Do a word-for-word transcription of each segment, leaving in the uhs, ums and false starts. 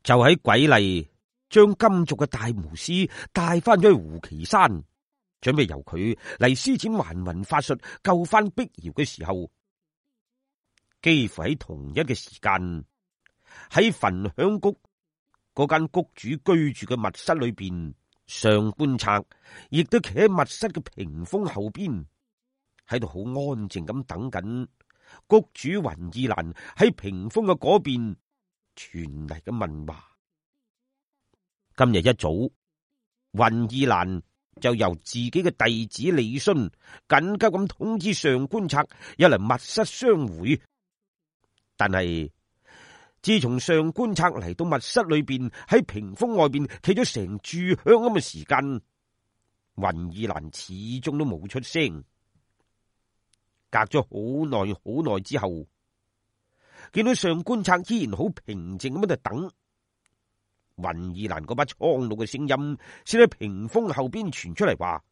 就喺鬼吏將金族嘅大巫師帶翻咗去胡岐山，準備由佢嚟施展還魂法術救翻碧瑤嘅時候，幾乎喺同一嘅時間，喺焚香谷嗰間谷主居住嘅密室裏邊，上官策亦都企喺密室嘅屏風後邊，喺度好安靜咁等緊谷主雲意蘭喺屏風嘅嗰邊傳嚟嘅問話。今日一早，雲意蘭就由自己嘅弟子李勳緊急咁通知上官策有嚟密室相會，但係自從上官策嚟到密室裏邊，喺屏風外邊企咗成炷香咁嘅時間，雲意蘭始終都冇出聲。隔咗好耐好耐之後，見到上官策依然好平靜咁喺度等，雲意蘭嗰把蒼老嘅聲音先喺屏風後邊傳出嚟話：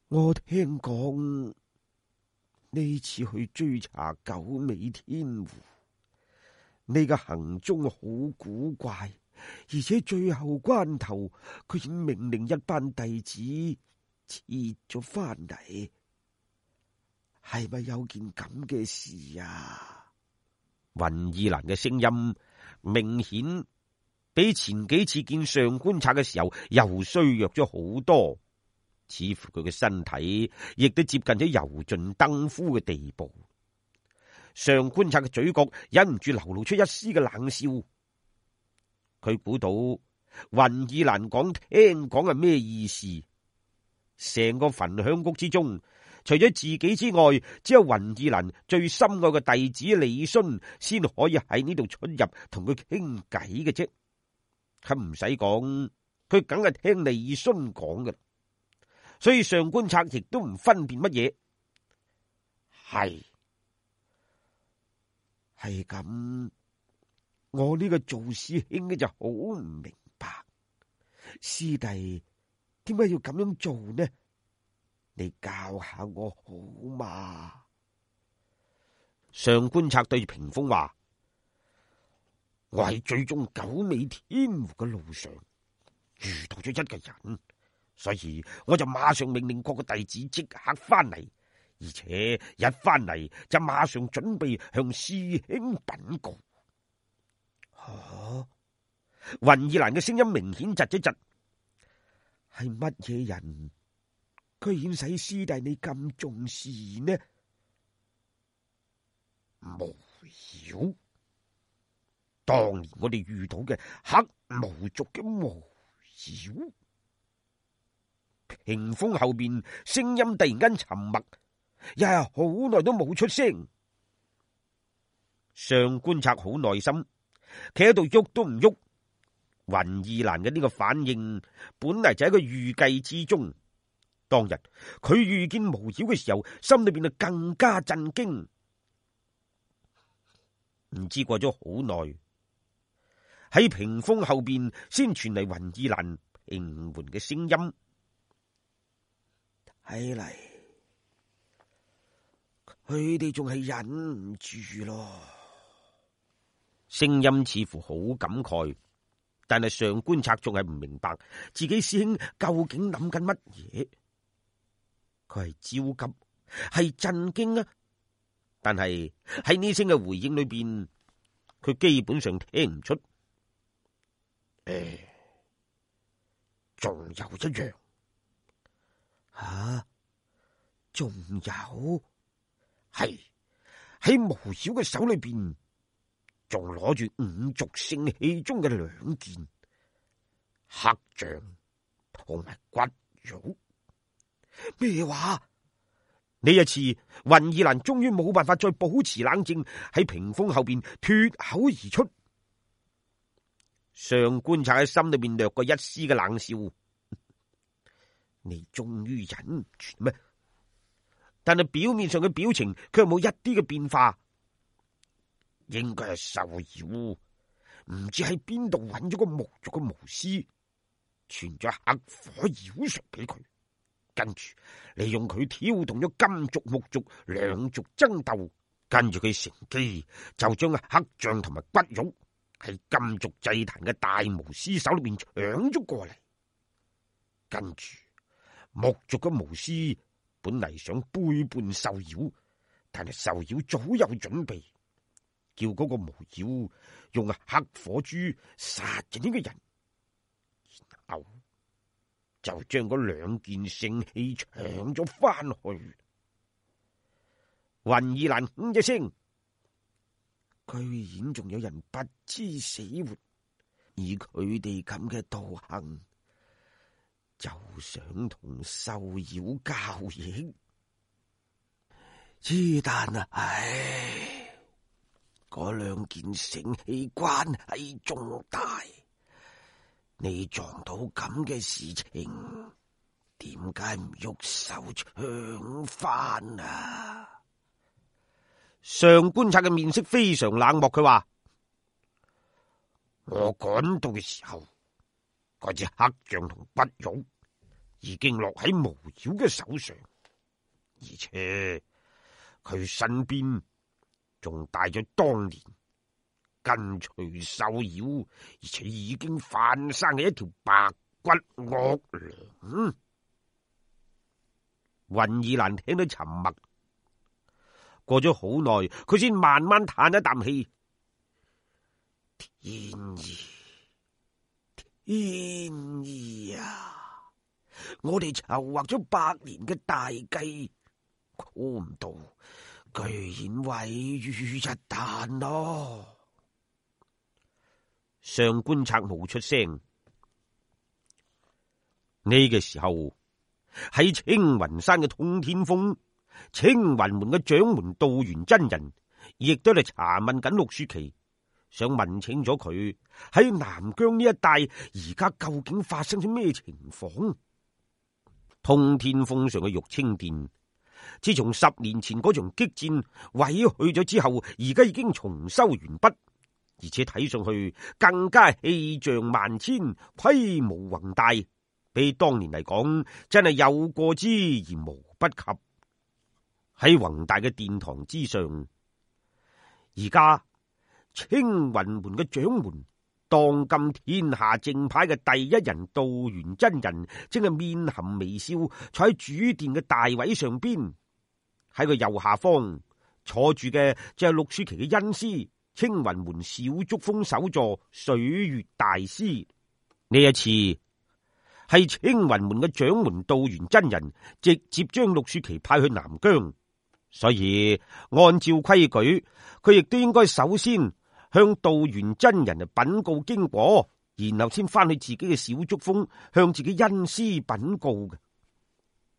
我聽講呢次去追查九尾天狐，你嘅行蹤好古怪，而且最後關頭佢已命令一班弟子撤咗翻嚟。係咪有件咁嘅事啊？雲意蘭嘅聲音明顯比前幾次見上官策嘅時候又衰弱咗好多，似乎佢嘅身體亦都接近咗油盡燈枯嘅地步。上官策嘅嘴角忍唔住流露出一絲嘅冷笑，佢估到雲意蘭講聽講係咩意思。成個焚香谷之中，除咗自己之外，只有雲意蘭最深愛嘅弟子李勳先可以喺呢度出入同佢傾偈嘅啫。佢唔使講，佢梗係聽李勳講嘅，所以上官策亦都唔分辨乜嘢。係係咁，我呢個做師兄嘅就好唔明白，師弟點解要咁樣做呢？你教下我好嘛？上官策對住屏風話：我喺追蹤九尾天狐嘅路上遇到咗一個人，所以我就馬上命令各個弟子即刻翻嚟，而且一翻嚟就馬上準備向師兄稟告。啊！雲意蘭嘅聲音明顯窒一窒，係乜嘢人居然使師弟你咁重視呢？無妖，當年我哋遇到嘅黑毛族嘅無妖。屏風後邊聲音突然間沉默，又係好耐都冇出聲。上官策好耐心，企喺度喐都唔喐。雲意蘭嘅呢個反應本嚟就喺佢預計之中。當日佢遇見無妖嘅時候，心裏邊就更加震驚。唔知過咗好耐，喺屏風後邊先傳嚟雲意蘭平緩嘅聲音。睇嚟佢哋仲係忍唔住咯。聲音似乎好感慨，但係上官策仲係唔明白自己師兄究竟諗緊乜嘢。佢係焦急，係震驚啊！但係喺呢聲嘅回應裏邊，佢基本上聽唔出。誒，仲有一樣吓，仲有係喺無妖嘅手裏邊，仲攞住五族聖器中嘅兩件黑象同埋骨肉。咩話？呢一次雲意蘭終於冇辦法再保持冷靜，喺屏風後邊脫口而出。上官策喺心裏邊掠過一絲嘅冷笑，你終於忍唔住咩？但係表面上嘅表情卻冇一啲嘅變化。應該係受妖，唔知喺邊度揾咗個木族嘅巫師，傳咗黑火妖術俾佢。跟住利用佢挑動咗金族木族兩族爭鬥，跟住佢乘機就將黑象同埋骨肉喺金族祭壇嘅大巫師手裏面搶咗過嚟。跟住木族嘅巫師本嚟想背叛獸妖，但係獸妖早有準備，叫嗰個巫妖用黑火珠殺咗呢個人，然後就將嗰兩件聖器搶咗翻去。雲二蘭哼一聲，居然仲有人不知死活，以佢哋咁嘅道行，就想同獸妖交易。之但啊，唉，嗰兩件聖器關係重大，你撞到咁嘅事情，點解唔喐手搶翻啊？上官策嘅面色非常冷漠，佢話：我趕到嘅時候，嗰隻黑象同不玉已經落喺巫妖嘅手上，而且佢身邊仲帶咗當年跟隨獸妖，而且已經翻生嘅一條白骨惡娘。雲二蘭聽到沉默。過咗好耐，佢先慢慢嘆一啖氣。天意，天意啊！我哋籌劃咗百年嘅大計，估唔到居然毀於一旦咯！上官策冇出聲。呢個時候喺青雲山嘅通天峰，青雲門嘅掌門道元真人亦都嚟查問緊陸舒淇，想問清楚佢喺南疆呢一帶而家究竟發生咗咩情況。通天峰上嘅玉清殿，自從十年前嗰場激戰毀去咗之後，而家已經重修完畢，而且睇上去更加氣象萬千，規模宏大，比當年嚟講真係有過之而無不及。喺宏大嘅殿堂之上，而家青雲門嘅掌門，當今天下正派嘅第一人道元真人，正係面含微笑坐喺主殿嘅大位上邊。喺個右下方坐住嘅就係陸舒淇嘅恩師，青雲門小竹峰首座水月大師。呢一次係青雲門嘅掌門道元真人直接將陸舒淇派去南疆。所以按照規矩，佢亦都應該首先向道元真人嚟稟告經過，然後先翻去自己嘅小竹峰向自己恩師稟告嘅。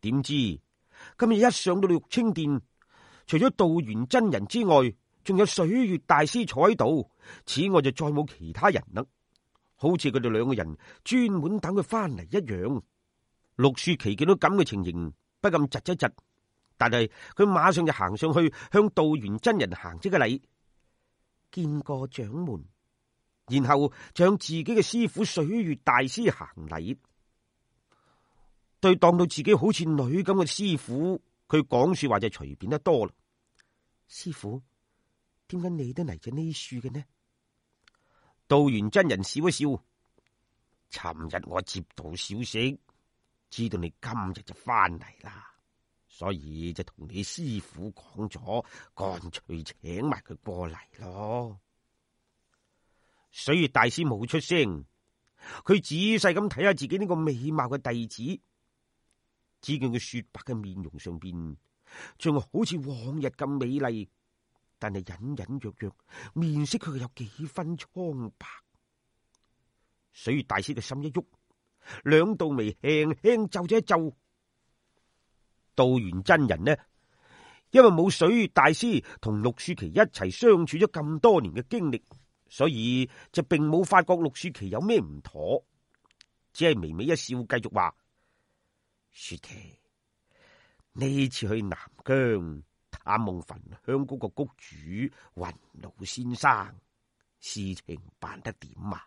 點知今日一上到玉清殿，除咗道元真人之外，仲有水月大師坐喺度，此外就再冇其他人啦，好似佢哋兩個人專門等佢翻嚟一樣。陸舒淇見到咁嘅情形，不禁窒一窒。但係佢馬上就行上去向道元真人行咗個禮，見過掌門，然後就向自己嘅師傅水月大師行禮。對當到自己好似女咁嘅師傅，佢講說話就隨便得多啦。師傅，點解你都嚟咗呢處嘅呢？道元真人笑一笑，尋日我接到消息，知道你今日就翻嚟啦。所以就同你師傅講咗，乾脆請埋佢過嚟咯。水月大師冇出聲，佢仔細咁睇下自己呢個美貌嘅弟子，只見佢雪白嘅面容上邊仲好似往日咁美麗，但係隱隱約約面色佢有幾分蒼白。水月大師嘅心一喐，兩道眉輕輕皺咗一皺。道元真人呢，因為冇水月大師同陸舒淇一齊相處咗咁多年嘅經歷，所以就並冇發覺陸舒淇有咩唔妥，只係微微一笑，繼續話：舒淇，呢次去南疆探望焚香嗰個谷主雲老先生，事情辦得點啊？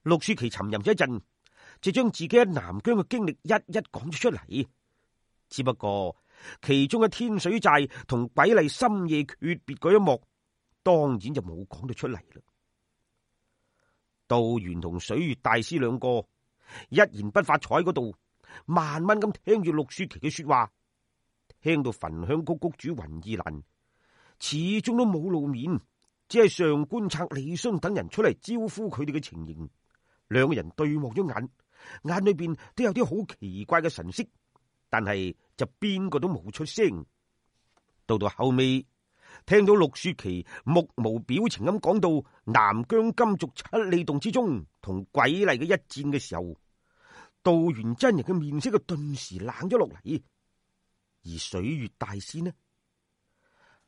陸舒淇沉吟咗一陣，就將自己喺南疆嘅經歷一一講咗出嚟。只不過其中嘅天水寨同鬼麗深夜訣別嗰一幕，當然就冇講到出嚟啦。道元同水月大師兩個一言不發坐喺嗰度，慢慢咁聽住陸雪琪嘅說話，聽到焚香谷谷主雲意蘭始終都冇露面，只係上官策、李信等人出嚟招呼佢哋嘅情形。兩個人對望咗眼，眼裏邊都有啲好奇怪嘅神色，但係就邊個都冇出聲。到到後尾，聽到陸雪琪目無表情咁講到南疆金族七里洞之中同鬼麗嘅一戰嘅時候，道元真人嘅面色就頓時冷咗落嚟。而水月大師呢，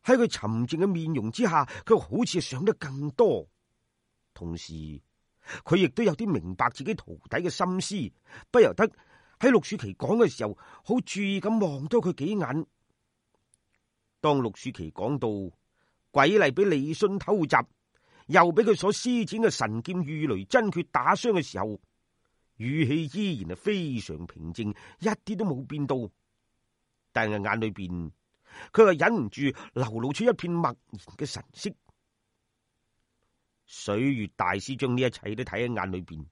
喺佢沉靜嘅面容之下，佢好似想得更多，同時佢亦都有啲明白自己徒弟嘅心思，不由得喺陸雪琪講嘅時候，好注意咁望多佢幾眼。當陸雪琪講到鬼麗俾李信偷襲，又俾佢所施展嘅神劍御雷真訣打傷嘅時候，語氣依然係非常平靜，一啲都冇變到。但係眼裏邊，佢係忍唔住流露出一片默然嘅神色。水月大師將呢一切都睇喺眼裏邊，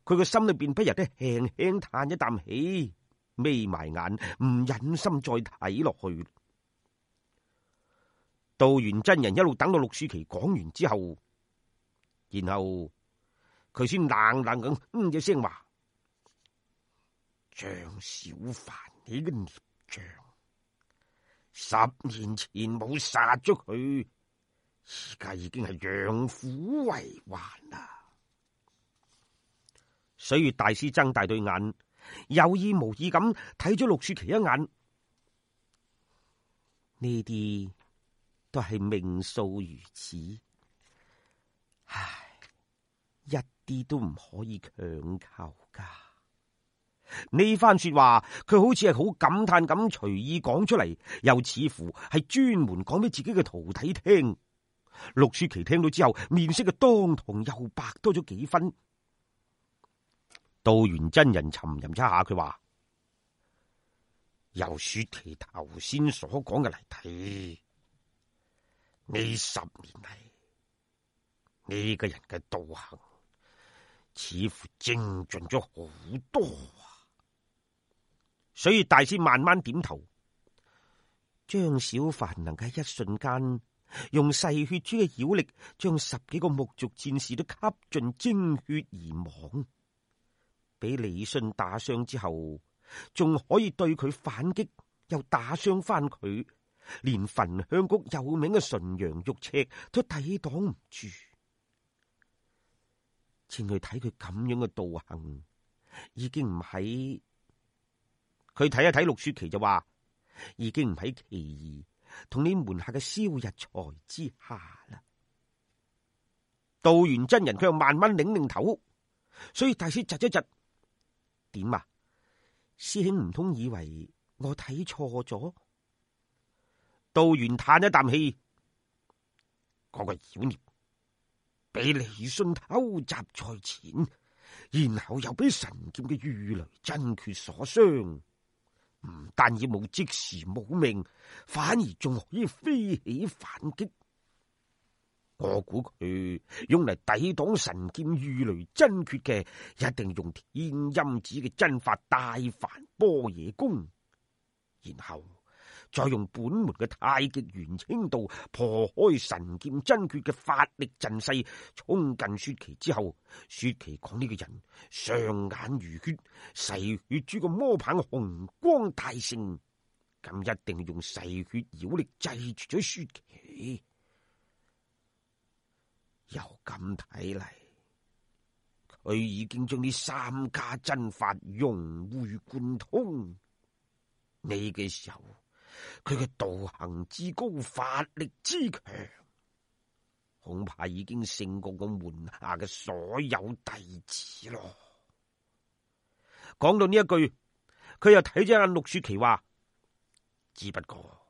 佢個心裏邊不由得輕輕嘆一啖氣，眯埋眼，唔忍心再睇落去。道元真人一路等到陸雪琪講完之後，然後佢先冷冷咁嗯一聲話：張小凡，你嘅孽障，十年前冇殺咗佢，而家已經係養虎為患啦。水月大師睜大對眼，有意無意咁睇咗陸雪琪一眼。呢啲都係命數如此，唉，一啲都唔可以強求噶。呢番說話，佢好似係好感嘆咁隨意講出嚟，又似乎係專門講俾自己嘅徒弟聽。陸雪琪聽到之後，面色嘅當堂又白多咗幾分。道元真人沉吟一下，佢話：由雪琪頭先所講嘅嚟睇，呢十年嚟，呢個人嘅道行似乎精進咗好多啊！所以大師慢慢點頭。張小凡能夠一瞬間用噬血珠嘅妖力，將十幾個木族戰士都吸盡精血而亡，俾李信打傷之後，仲可以對佢反擊，又打傷翻佢。連焚香谷有名嘅純陽玉尺都抵擋唔住，請佢睇佢咁樣嘅道行，已經唔喺。佢睇一睇陸雪琪就話，已經唔喺其兒同你門下嘅蕭日才之下啦。道元真人佢又慢慢擰擰頭，所以大師窒一窒，點啊？師兄唔通以為我睇錯咗？道元嘆一啖氣，嗰個妖孽俾李信偷襲在前，然後又俾神劍嘅御雷真訣所傷，唔單止冇即時冇命，反而仲可以飛起反擊。我估佢用嚟抵擋神劍御雷真訣嘅，一定用天音子嘅真法大梵般若功，然後再用本門嘅太極元清道破開神劍真訣嘅法力陣勢，衝近雪琪之後，雪琪講呢個人雙眼如血，噬血珠個魔棒紅光大盛，咁一定用噬血妖力制住咗雪琪。由咁睇嚟，佢已經將呢三家真法融會貫通。呢個時候，佢嘅道行之高，法力之強，恐怕已經勝過我門下嘅所有弟子咯。講到呢一句，佢又睇咗眼陸雪琪話：只不過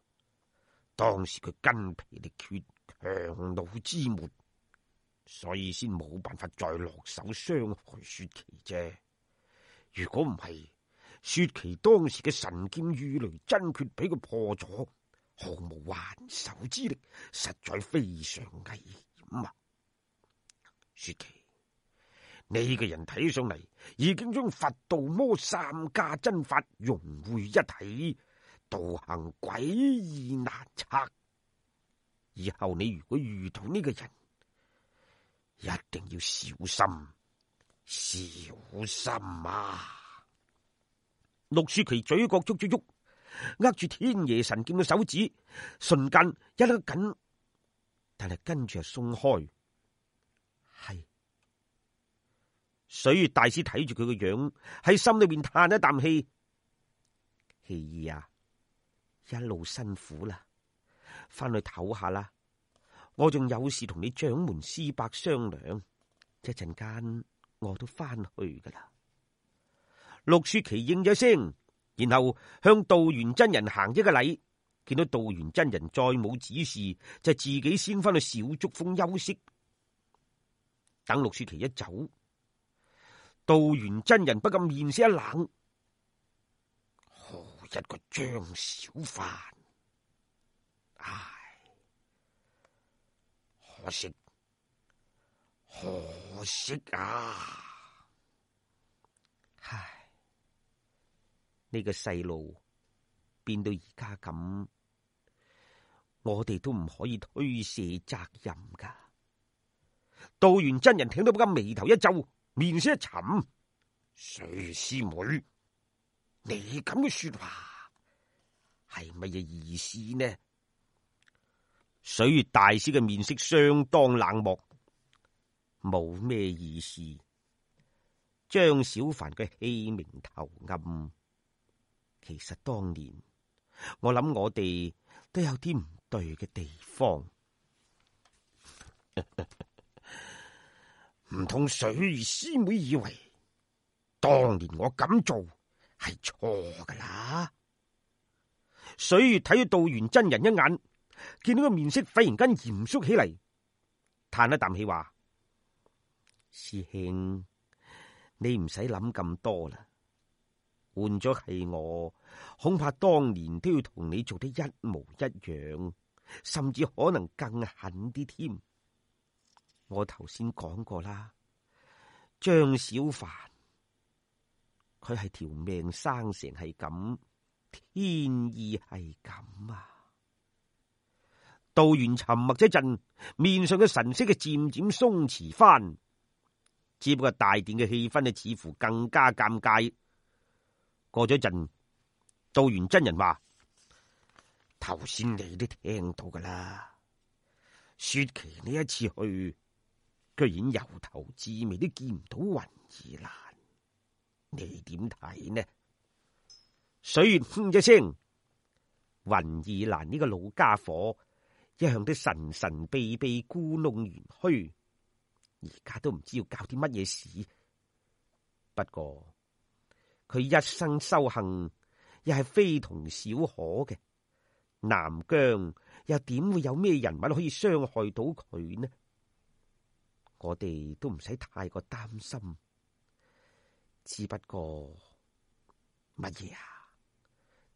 當時佢筋疲力竭，強弩之末，所以先冇辦法再落手傷害雪琪啫。如果唔係，雪琪當時嘅神劍御雷真訣俾佢破咗，毫無還手之力，實在非常危險啊！雪琪，呢個人睇上嚟已經將佛道魔三家真法融匯一體，道行詭異難測。以後你如果遇到呢個人，一定要小心，小心啊！陸舒淇嘴角捉咗喐，握住天爺神劍嘅手指，瞬間一握緊，但係跟住就鬆開。係水月大師睇住佢個樣，喺心裏邊嘆一啖氣。希兒啊，一路辛苦啦，翻去唞下啦。我仲有事同你掌門師伯商量，一陣間我都翻去噶啦。陸舒淇應咗聲，然後向道元真人行一個禮。見到道元真人再冇指示，就自己先翻去小竹峰休息。等陸舒淇一走，道元真人不禁面色一冷，好一個張小凡！唉，可惜，可惜啊！唉，呢個細路變到而家咁，我哋都唔可以推卸責任噶。道元真人聽到不禁眉頭一皺，面色一沉。水月師妹，你咁嘅說話係乜嘢意思呢？水月大師嘅面色相當冷漠，冇咩意思。張小凡嘅欺名投暗，其實當年我諗我哋都有啲唔對嘅地方。唔通水月師妹以為當年我咁做係錯噶啦？水月睇咗道元真人一眼，見到個面色忽然間嚴肅起嚟，嘆一啖氣話：師兄，你唔使諗咁多啦。換咗係我，恐怕當年都要同你做得一模一樣，甚至可能更狠啲添。我頭先講過啦，張小凡佢係條命生成係咁，天意係咁啊！道元沉默一陣，面上嘅神色嘅漸漸鬆弛翻，只不過大殿嘅氣氛呢，似乎更加尷尬。過咗一陣，道元真人話：頭先你都聽到噶啦，雪琪呢一次去，居然由頭至尾都見唔到雲兒蘭，你點睇呢？水月哼一聲，雲兒蘭呢個老家伙一向都神神秘秘、故弄玄虛，而家都唔知要搞啲乜嘢事。不過佢一生修行又係非同小可嘅，南疆又點會有咩人物可以傷害到佢呢？我哋都唔使太過擔心，只不過乜嘢啊？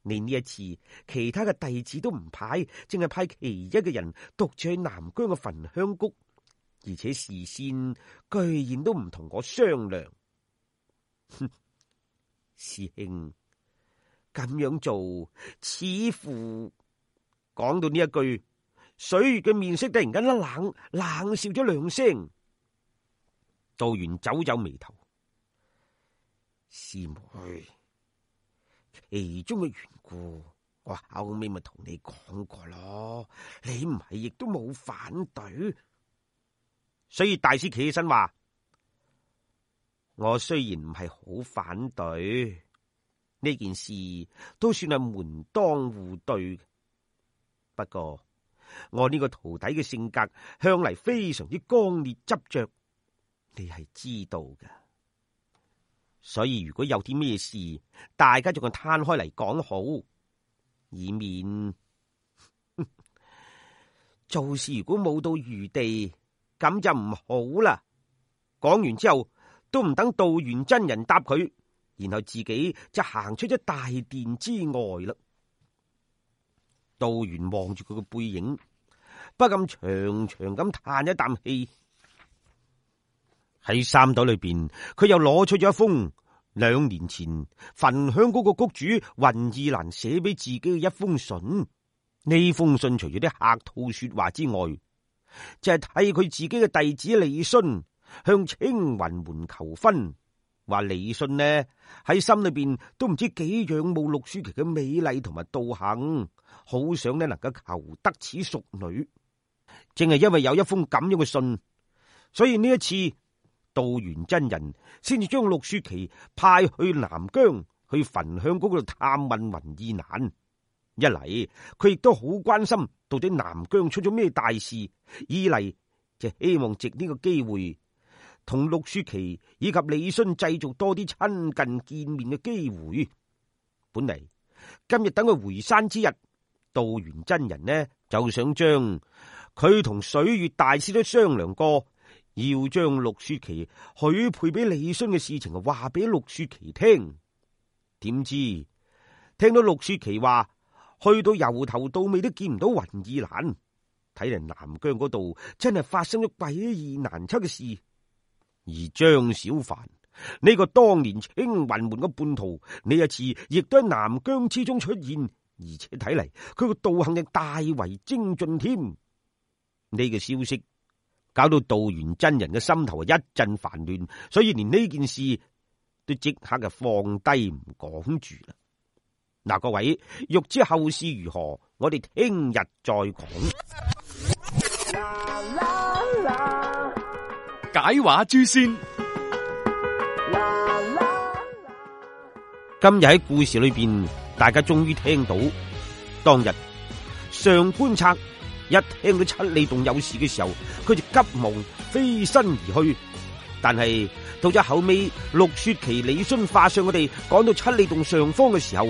你呢一次其他嘅弟子都唔派，淨係派其一嘅人獨自去南疆嘅焚香谷，而且事先居然都唔同我商量。哼，師兄咁樣做，似乎講到呢一句，水月嘅面色突然間一冷，冷笑咗兩聲。道元皺皺眉頭，師妹，其中嘅緣故，我後尾咪同你講過咯，你唔係亦都冇反對。所以大師企起身話：我雖然唔係好反對呢件事，都算係門當戶對。不過我呢個徒弟嘅性格向嚟非常之剛烈執着，你係知道㗎。所以如果有啲咩事，大家仲係攤開嚟講好，以免做事如果冇到餘地，咁就唔好啦。講完之後，都唔等道元真人答佢，然後自己就行出咗大殿之外啦。道元望住佢個背影，不禁長長咁嘆一啖氣。喺衫袋裏邊，佢又攞出咗一封兩年前焚香嗰個谷主雲意蘭寫俾自己嘅一封信。呢封信除咗啲客套說話之外，就係替佢自己嘅弟子李舜向青雲門求婚。話李舜呢喺心裏邊都唔知幾仰慕陸舒淇嘅美麗同埋道行，好想呢能夠求得此淑女。正係因為有一封咁樣嘅信，所以呢一次道元真人先至將陸舒淇派去南疆去焚香谷嗰度探問雲意蘭。一嚟佢亦都好關心到底南疆出咗咩大事，二嚟就希望藉呢個機會同陸舒淇以及李舜製造多啲親近見面嘅機會。本嚟今日等佢回山之日，道元真人呢就想將佢同水月大師都商量過，要將陸舒淇許配俾李舜嘅事情話俾陸舒淇聽。點知聽到陸舒淇話去到由頭到尾都見唔到雲意蘭，睇嚟南疆嗰度真係發生咗詭異難測嘅事。而張小凡呢個當年青雲門嘅叛徒，呢一次亦都喺南疆之中出現，而且睇嚟佢個道行亦大為精進添。呢個消息搞到道元真人嘅心頭一陣煩亂，所以連呢件事都即刻就放低唔講住啦。嗱，各位欲知後事如何，我哋聽日再講。解話諸仙，今日喺故事裏邊，大家終於聽到當日上官策一聽到七里洞有事嘅時候，佢就急忙飛身而去。但係到咗後尾，陸舒淇、李舜化上我哋趕到七里洞上方嘅時候，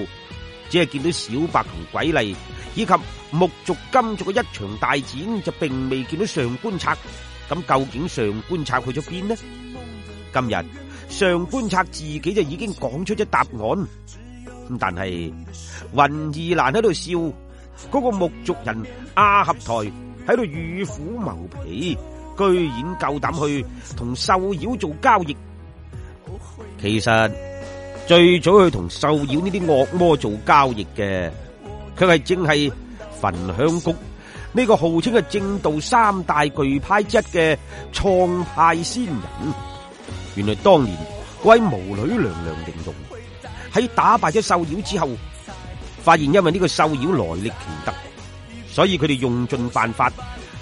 只係見到小白同鬼麗以及木族金族嘅一場大戰，就並未見到上官策。咁究竟上官策去咗邊呢？今日上官策自己就已經講出咗答案。咁但係雲意蘭喺度笑，嗰個木族人阿合台喺度與虎謀皮，居然夠膽去同獸妖做交易。其實最早去同獸妖呢啲惡魔做交易嘅，佢係正係焚香谷呢個號稱係正道三大巨派之一嘅創派仙人。原來當年嗰位巫女娘娘玲瓏喺打敗咗獸妖之後，發現因為呢個獸妖來歷奇特，所以佢哋用盡辦法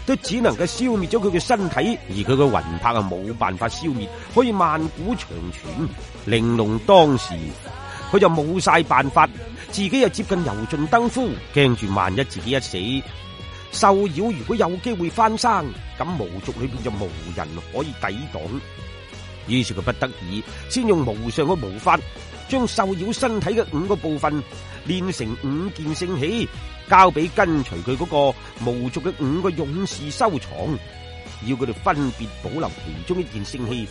都只能夠消滅咗佢嘅身體，而佢嘅魂魄啊冇辦法消滅，可以萬古長存。玲瓏當時佢就冇晒辦法，自己又接近油盡燈枯，驚住萬一自己一死，獸妖如果有機會翻生，咁巫族裏邊就無人可以抵擋。於是佢不得已先用無上嘅巫法，將獸妖身體嘅五個部分練成五件聖器，交俾跟隨佢嗰個巫族嘅五個勇士收藏，要佢哋分別保留其中一件聖器。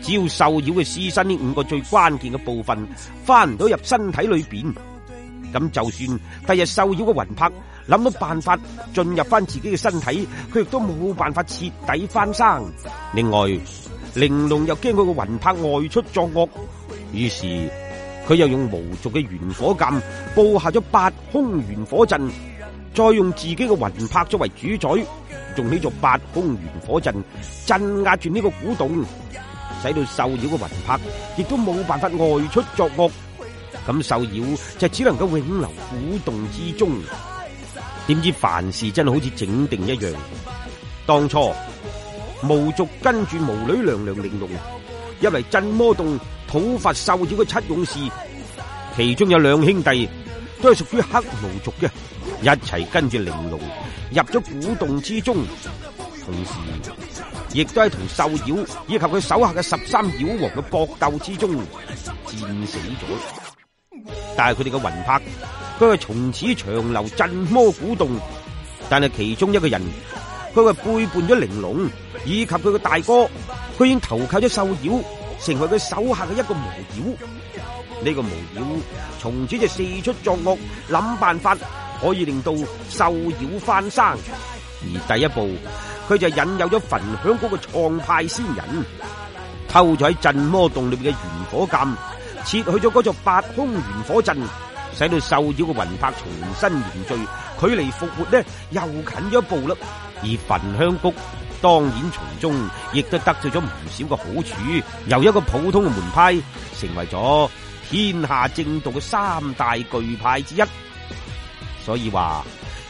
只要獸妖嘅屍身呢五個最關鍵嘅部分翻唔到入身體裏邊，咁就算第日獸妖嘅魂魄諗到辦法進入翻自己嘅身體，佢亦都冇辦法徹底翻生。另外，玲瓏又驚佢個魂魄外出作惡，於是佢又用巫族嘅玄火劍布下咗八空玄火陣，再用自己嘅魂魄作為主宰，用呢座八空玄火陣鎮壓住呢個古洞，使到獸妖嘅魂魄亦都冇辦法外出作惡。咁獸妖就只能夠永留古洞之中。點知凡事真係好似整定一樣，當初巫族跟住巫女娘娘玲瓏入嚟鎮魔洞討伐獸妖嘅七勇士，其中有兩兄弟都係屬於黑巫族嘅，一齊跟住玲瓏入咗古洞之中，同時亦都係同獸妖以及佢手下嘅十三妖王嘅搏鬥之中戰死咗。但係佢哋嘅魂魄，佢係從此長留鎮魔古洞。但係其中一個人，佢係背叛咗玲瓏以及佢嘅大哥，佢已經投靠咗獸妖，成為佢手下嘅一個巫妖。呢個巫妖從此就四出作惡，諗辦法可以令到獸妖翻生。而第一步，佢就引誘咗焚香谷嘅創派仙人。偷咗喺鎮魔洞裏邊嘅玄火鑑，撤去咗嗰座八空玄火陣，使到獸妖嘅魂魄重新凝聚，距離復活呢又近咗一步啦。而焚香谷當然從中亦都得到咗唔少嘅好處，由一個普通嘅門派成為咗天下正道嘅三大巨派之一。所以話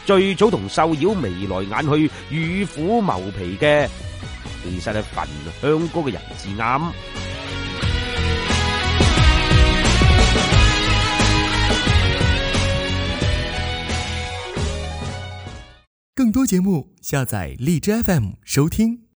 最早同獸妖眉來眼去、與虎謀皮嘅，其實係焚香谷嘅人至啱。更多節目下載荔枝 F M 收聽。